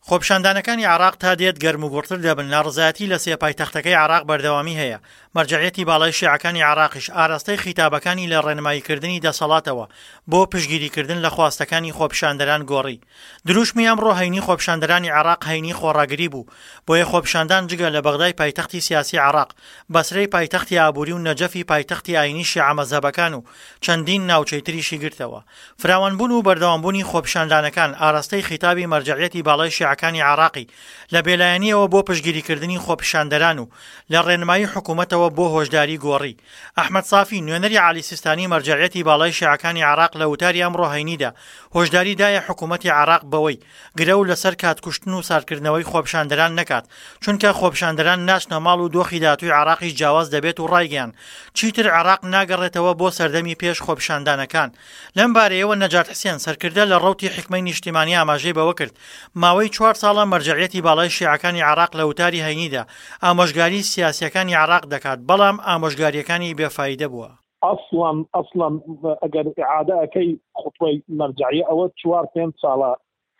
خۆپیشاندانەکانی عێراق تا دێت گەرموگوڕتر دەبن، ناڕەزایەتی لە سێ پایتەختەکەی عێراق بەردەوامی هەیە، مەرجەعیەتی باڵای شیعەکانی عێراقیش ئاراستەی خیتابەکانی لە ڕێنماییکردنی دەسەڵاتەوە بۆ پشتگیریکردن لە خواستەکانی خۆپیشاندەران گۆڕی. دروشمی ئەمڕۆ هەینی خۆپیشاندەرانی عێراق هەینی خۆڕاگری بوو، بۆیە خۆپیشاندان جگە لە بەغدای پایتەختی سیاسی عێراق، بەسرەی پایتەختی ئابووری و نەجەفی پایتەختی ئایینی شیعە مەزهەبەکان و چەندین ناوچەی تریشی گرتەوە. فراوانبوون و بەردەوامبوونی خۆپیشاندانەکان ئاراستەی خیتابی مەرجەعیەتی باڵای شیعەکانی عێراقی لە بێلایەنییەوە بۆ پشتگیریکردنی خۆپیشاندەران و لە ڕێنمایی حکوومەتەوە بۆ هۆشداری گۆڕی. ئەحمەد سافی، نوێنەری عەلی سیستانی مەرجەعیەتی باڵای شیعەکانی عێراق لە وتاری ئەمڕۆ هەینیدا هۆشداری دایە حکوومەتی عێراق بەوەی گرەو لەسەر کات کوشتن و ساردکردنەوەی خۆپیشاندەران نەکات، چونکە خۆپیشاندەران ناچنە ماڵ و دۆخی داهاتووی عێراقیش جیاواز دەبێت و ڕایگەیاند، چیتر عێراق ناگەڕێتەوە بۆ سەردەمی پێش خۆپیشاندانەکان. لەم بارەیەوە نەجات حسێن، سەرکردە لە ڕەوتی حیکمەی نیشتیمانی ئاماژەی بەوە کرد، ماوەی چوار ساڵە مەرجەعیەتی باڵای شیعەکانی عێراق لە وتاری هەینیدا ئامۆژگاری سیاسییەکانی عێراق دەکات، بەڵام ئامۆژگارییەکانی بێ فایدە بووە. ئەسڵەن ئەسڵەن ئەگەر ئیعادە ئەکەی خوتبەی مەرجەعیە ئەوە چوار پێنج ساڵە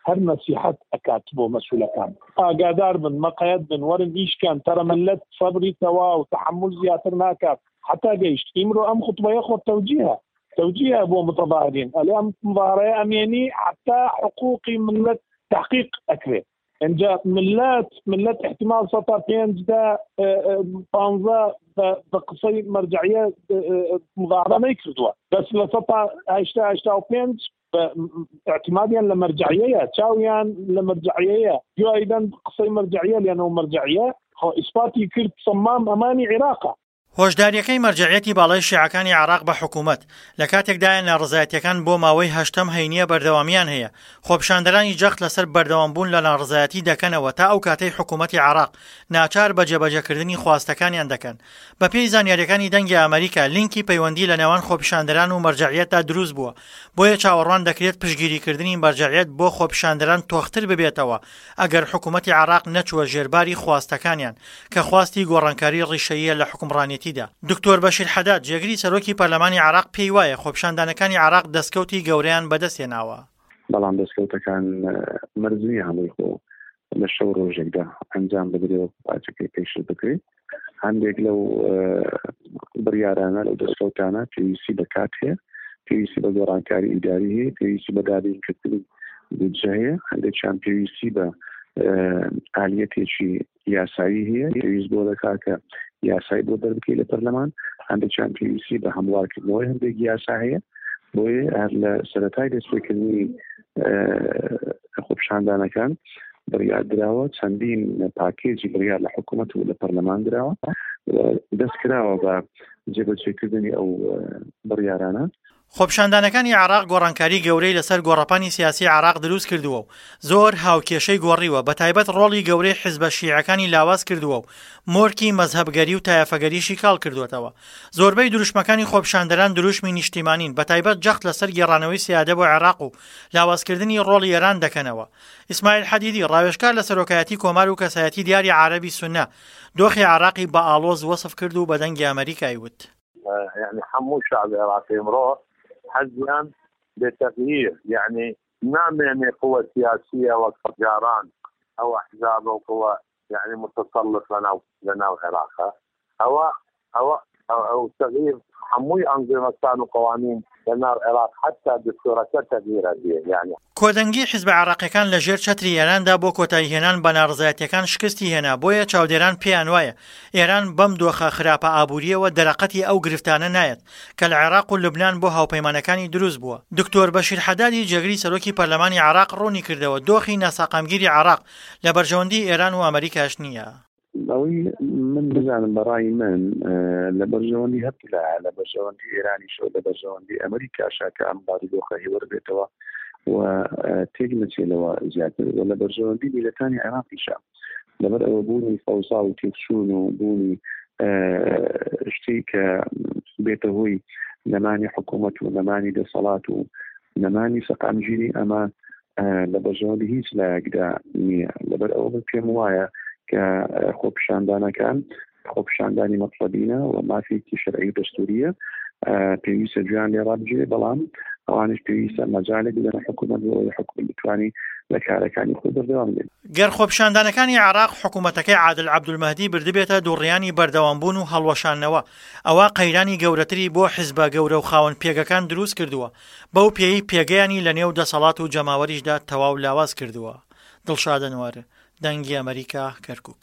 هەر نەسیحەت ئەکات بۆ مەسولەکان ئاگادار بن مەقەیەت بن وەرن ئیش کەن تەرە ملت سەبری تەواو تەحەمول زیاتر ناکات حتا گەیشت ئیمرۆ ئەم خوتبەیە خۆ تەوجیهە تەوجیهە بۆ متەظاهرین ئەلێ ئەم مظاهرەیە ئەمێنی حتا حقوقی ملت تحقیق ئەکرێ ئینجا ملت ملت احتمال سەتا پێنج دە پانزە بە قسەی مەرجعیە مظاهرە نەیکردووە بەس لە سەتا هەشتا 85 اعتمادیان لە مەرجعیەیە چاویان لە مەرجعیەیە گوێ قسەی مەرجعیە لەنەوە مەرجعیە خۆ ئیسپاتی کرد سەمام ئەمانی عێراقە. هۆشدارییەکەی مەرجەعیەتی باڵای شیعەکانی عێراق بە حکومەت، لە کاتێکدایە ناڕەزایەتییەکان بۆ ماوەی هەشتەم هەینییە بەردەوامییان هەیە، خۆپیشاندەرانی جەخت لەسەر بەردەوامبوون لە ناڕەزایەتی دەکەنەوە تا ئەو کاتەی حکومەتی عێراق ناچار بە جێبەجێکردنی خواستەکانیان دەکەن. بەپێی زانیارییەکانی دەنگی ئەمەریکا، لینکی پەیوەندی لە نێوان خۆپیشاندەران و مەرجەعیەتدا دروست بووە، بۆیە چاوەڕوان دەکرێت پشتگیریکردنی مەرجەعیەت بۆ خۆپیشاندەران تۆختر ببێتەوە ئەگەر حکومەتی عێراق نەچووە ژێرباری خواستەکانیان کە خواستی گۆڕانکاری ڕیشەییە لە حوکمڕانێتیدا. دکتۆر بەشیر حەداد، جێگری سەرۆکی پەرلەمانی عێراق پێی وایە خۆپیشاندانەکانی عێراق دەستکەوتی گەورەیان بەدەستهێناوە. بەڵام دەستکەوتەکان مەرج نییە هەمووی خۆ لە شەو ڕۆژێکدا ئەنجام بدرێ و پارچەکەی پێشل بکرێت. هەندێک لەو بڕیارانە لەو دەستکەوتانە پێویستی بە کات هەیە، پێویستی بە گۆڕانکاری ئیداری هەیە، پێویستی بە دابینکردنی بودجە هەیە، هەندێکیان پێویستی بە ئالیەتێکی یاسایی هەیە، پێویست بۆ دەکات کە یاسای بۆ دەربکەی لە پەرلەمان، هەندێکیان پێویستی بە هەموارکردنەوەی هەندێک یاسا هەیە، بۆیە هەر لە سەرەتای دەستپێکردنی خۆپیشاندانەکان بڕیار دراوە چەندین پاکێجی بڕیار لە حکوومەت و لە پەرلەمان دراوە دەست کراوە بە جێبەجێکردنی ئەو بڕیارانە. خۆپیشاندانەکانی عێراق گۆڕانکاری گەورەی لەسەر گۆڕەپانی سیاسی عێراق دروست کردووە و زۆر هاوکێشەی گۆڕیوە، بەتایبەت ڕۆڵی گەورەی حیزبە شیعەکانی لاواز کردووە و مۆرکی مەزهەبگەری و تایەفەگەریشی کاڵ کردووەتەوە. زۆربەی دروشمەکانی خۆپیشاندەران دروشمی نیشتیمانین، بەتایبەت جەخت لەسەر گێڕانەوەی سیادە بۆ عێراق و لاوازکردنی ڕۆڵی ئێران دەکەنەوە. ئیسماعیل حەدیدی، ڕاوێژکار لە سەرۆکایەتی کۆمار و کەسایەتی دیاری عارەبی سوننە، دۆخی عێراقی بە ئاڵۆز وەسف کرد و بە دەنگی ئەمەریکای وت. یەعنی هەموو شەعبی عێراقی ئمڕۆ حەزیان بە تەغییر یەعنی نامێنێ قوە سیاسیە وەک جاران ئەو ئەحزابە و قوە یەعنی متسلط لەناو لەناو عێراقە ئەوە ئەوە ئەو تەغییر هەمووی ئەنظیمەکان و قوانین لەناو عێراق حەتا دستورەکە تەغییر ئەبێ یەعنی. کۆدەنگی حیزبە عێراقیەکان لە ژێر چەتری ئێراندا بۆ کۆتاییهێنان بە ناڕەزایەتیەکان شکستی هێنا، بۆیە چاودێران پێیانوایە ئێران بەم دۆخە خراپە ئابوورییەوە دەرەقەتی ئەو گرفتانە نایەت کە لە عێراق و لوبنان بۆ هاوپەیمانەکانی دروست بووە. دکتۆر بەشیر حەدادی جێگری سەرۆکی پەرلەمانی عێراق ڕوونیکردەوە، دۆخی ناساقامگیری عێراق لە بەرژەوەندی ئێران و ئەمەریکاش نییە. ئەوەی من بزانم بە ڕای من لە بەرژەوەندی هەردوولایە لە بەرژەوەندی ئێرانیشەوە لە بەرژەوەندی ئەمریکاشە کە ئەم بارودۆخە هێوەر بێتەوە و تێک نەچێت لەوە زیاتر و لە بەرژەوەندی میلەتانی عێراقیشە لەبەر ئەوە بوونی فەوزا و تێکچوون و بوونی شتی کە بێتە هۆی نەمانی حکوومەت و نەمانی دەسەڵات و نەمانی سەقامگیری ئەمە لە بەرژەوەندی هیچ لایەکدا نییە لەبەر ئەوە من پێم وایە کە خۆپیشاندانەکان خۆپیشاندانی مەتڵەبینە و مافێکی شەرعی و دەستوریە پێویستە گوێیان لێ ڕابگیرێ بەڵام ئەوانیش پێویستە مەجالێک بدەنە حکوومەت بۆ ئەوەی حکوومەت بتوانانی لە کارەکانی خۆی بەردەوام دەبێت. گەر خۆپیشاندانەکانی عێراق حکومەتەکەی عادل عەبدولمەهدی بردبێتە دووڕیانی بەردەوامبوون و هەڵوەشاندنەوە، ئەوا قەیرانی گەورەتری بۆ حزبە گەورە و خاوەن پێگەکان دروست کردووە، بەو پێیەی پێگەیانی لەنێو دەسەڵات و جەماوەریشدا تەواو لاواز کردووە. دڵشاد ئەنوەر، دەنگی ئەمەریکا، کەرکوک.